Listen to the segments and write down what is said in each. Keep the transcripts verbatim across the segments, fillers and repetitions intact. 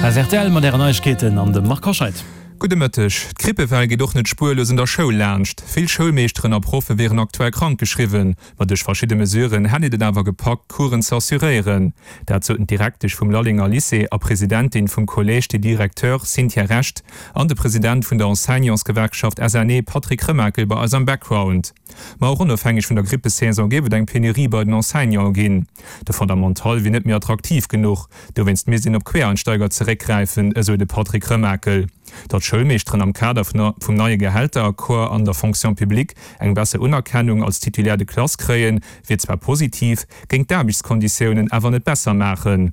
Hei ass rtl mat Ären Neiegkeeten an dem Marc Hoscheid. Gudde Mëtteg. D'Grippewell geet och net spuerlos un der Schoul laanscht. Vill Schoulmeeschteren a Proffe wieren aktuell krank geschriwwen. Ma duerch verschidde Mesuren hätt een et awer gepackt, d'Coursen ze assuréieren. Dat soten d'Direktesch vum Lallenger Lycée a Presidentin vum Collège des Directeurs Cynthia Recht an de President vun der Enseignantsgewerkschaft S N E Patrick Remakel bei eis am Background. Ma och onofhängeg vun der Grippesaison géif et eng Penurie bei den Enseignanten ginn. De Fondamental wier net méi attraktiv genuch, dowéinst misst een op Quereinsteiger zeréckgräifen, esou de Patrick Remakel. Datt Schoulmeeschteren am Kader vum neie Gehälteraccord an der Fonction publique eng besser Unerkennung als Titulaire de classe kréien, wier zwar positiv, géing d'Aarbechtskonditiounen awer net besser maachen.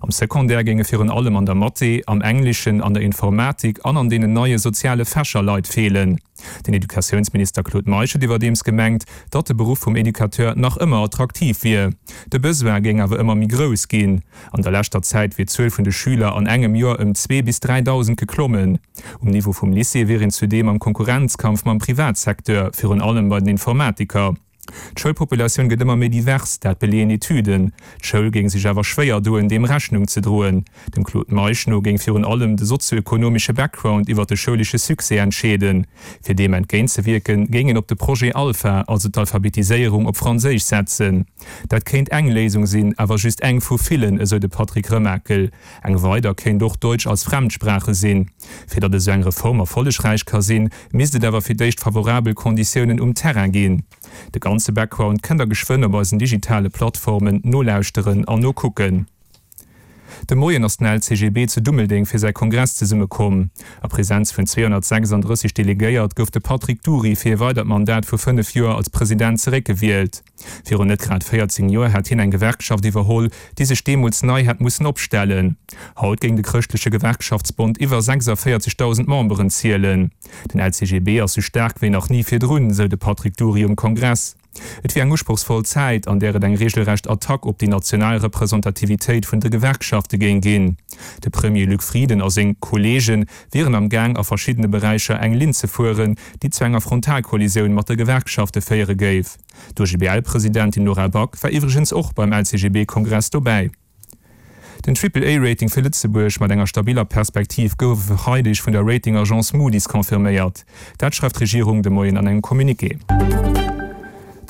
Am Secondaire géinge virun allem an der Mathé, am Engleschen, an der Informatik an an deenen neie soziale Fächer Leit feelen. Den Educatiounsminister Claude Meisch huet iwwerdeems gemengt, datt de Beruff vum Educateur nach ëmmer attraktiv wier. De Besoin géing awer ëmmer méi grouss ginn. An der leschter Zäit wier d'Zuel vun de Schüler an engem Joer ëm zwee bis dräidausend geklommen. Um Niveau vum Lycée wier een zudeem am Konkurrenzkampf mam Privatsecteur, virun allem bei den Informatiker. D'Schoulpopulatioun gëtt ëmmer méi divers, dat beleeën Etüden. D'Schoul géing sech awer schwéier doen, deem Rechnung ze droen. Dem Claude Meisch no géing virun allem de sozioekonomesche Background iwwer de schoulesche Succès entscheeden. Fir deem entgéintzewierken, géing een op de Projet Alpha, also d'Alphabetiséierung op Franséisch setzen. Dat kéint eng Léisung sinn, awer just eng vu villen, esou de Patrick Remakel. Eng weider kéint och Deutsch als Fremdsprache sinn. Fir datt esou eng Reform erfollegräich ka sinn, misst et awer fir d'éischt favorabel Konditiounen um Terrain ginn. De ganze Background kënnt der geschwënn op eisen digitale Plattformen nolauschteren an nokucken. De Moien ass den L C G B zu Dummeldeng fir säi Kongress zesummekomm. A Presenz vun zweehonnertsechsanddrësseg Delegéiert gouf de Patrick Dury fir e weidert Mandat vu fënnef Joer als President zeréckgewielt. Virun net grad véierzéng Joer hat hien eng Gewerkschaft iwwerholl, déi sech deemools nei hätt mussen opstellen. Haut géing de chrëschtleche Gewerkschaftsbond iwwer sechsavéierzegdausend Memberen zielen. Den L C G B ass sou staark wéi nach ni virdrun, sou de Patrick Dury um Kongress. Et wier eng usprochsvoll Zäit, an där et eng reegelrecht Attack op déi national Representativitéit vun de Gewerkschafte géing ginn. De Premier Luc Frieden a seng Kolleege wieren am Gaang a verschiddene Beräicher eng Linn ze fueren, déi zu enger Frontalkollisioun mat de Gewerkschafte féiere géif. D'O G B L-Presidentin Nora Back war iwwregens och beim L C G B-Kongress dobäi. Den Triple-A-Rating fir Lëtzebuerg mat enger stabiller Perspektiv gouf e Freideg vun der Rating-Agence Moody's confirméiert. Dat schreift d'Regierung de Moien an engem Communiqué.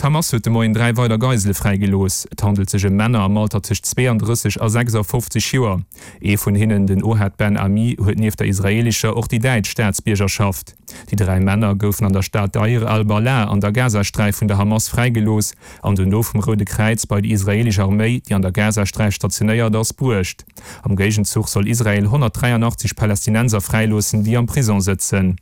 D'Hamas huet de Moien dräi weider Geisele fräigelooss. Et handelt sech ëm Männer am Alter tëscht zweeandrësseg a sechsafofzeg Joer. Ee vun hinnen, den Ohad Ben Ami, huet nieft der israeelescher och déi däitsch Staatsbiergerschaft. Déi dräi Männer goufen an der Stad Deir al-Balah an der Gazasträif vun der Hamas fräigelooss an dono vum Roude Kräiz bei déi israeelesch Arméi, déi an der Gazasträif stationéiert ass, bruecht. Am Géigenzuch soll Israel honnertdräianachtzeg Palästinenser fräiloossen, déi am Prisong sëtzen.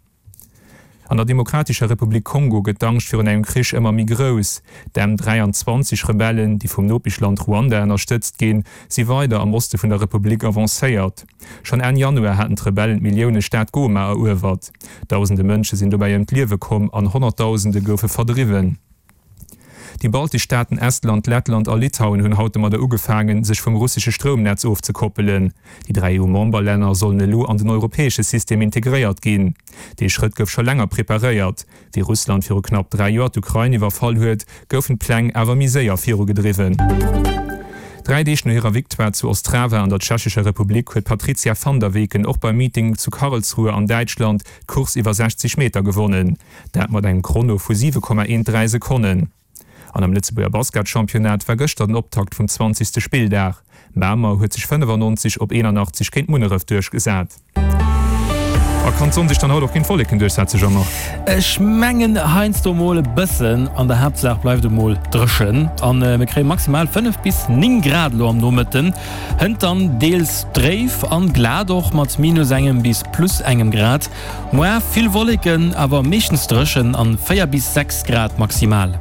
An der Demokratescher Republik Kongo gëtt d'Angscht virun engem Krich ëmmer méi grouss. D'M dräianzwanzeg Rebellen, déi vum Nopeschland Ruanda ënnerstëtzt ginn, si weider am Oste vun der Republik avancéiert. Schonn Enn Januar haten d'Rebellen d'Milliounen-Stad Goma eruewert. Dausende Mënsche sinn dobäi ëm d'Liewe komm an Honnertdausende goufe verdriwwen. Déi baltesch Staaten Estland, Lettland a Litauen hunn haut domadder ugefaangen, sech vum russesche Stroumnetz ofzekoppelen. Déi dräi E U-Memberlänner sollen elo an den europäesche System integréiert ginn. Dee Schrëtt gouf scho länger preparéiert. Wéi Russland viru knapp dräi Joer d'Ukrain iwwerfall huet, goufen d'Pläng awer méi séier virugedriwwen. Dräi Deeg no hirer Victoire zu Ostrava an der Tschechescher Republik huet d'Patrizia van der Weken och beim Meeting zu Karlsruhe an Däitschland d'Course iwwer sechzeg Meter gewonnen. Dat mat engem Chrono vu siwe Komma eent dräi Sekonnen. An am Lëtzebuerger Basketchampionnat war gëschter den Optakt vum zwanzegste Spilldag. Mamer huet sech fënnefannonzeg op eenanachtzeg géint Munneref duerchgesat. A kann d'Sonn sech dann haut och géint d'Wolleken duerchsetzen, Jean-Marc? Ech mengen heiansdo mol e bëssen, an der Haaptsaach bleift et mol dréchen an mir kréie maximal fënnef bis néng Grad elo am Nomëtten. Hënt dann deels dréif an glat och mat minus engem bis plus engem Grad. Moar vill Wolleken, awer meeschtens dréchen an véier bis sechs Grad maximal.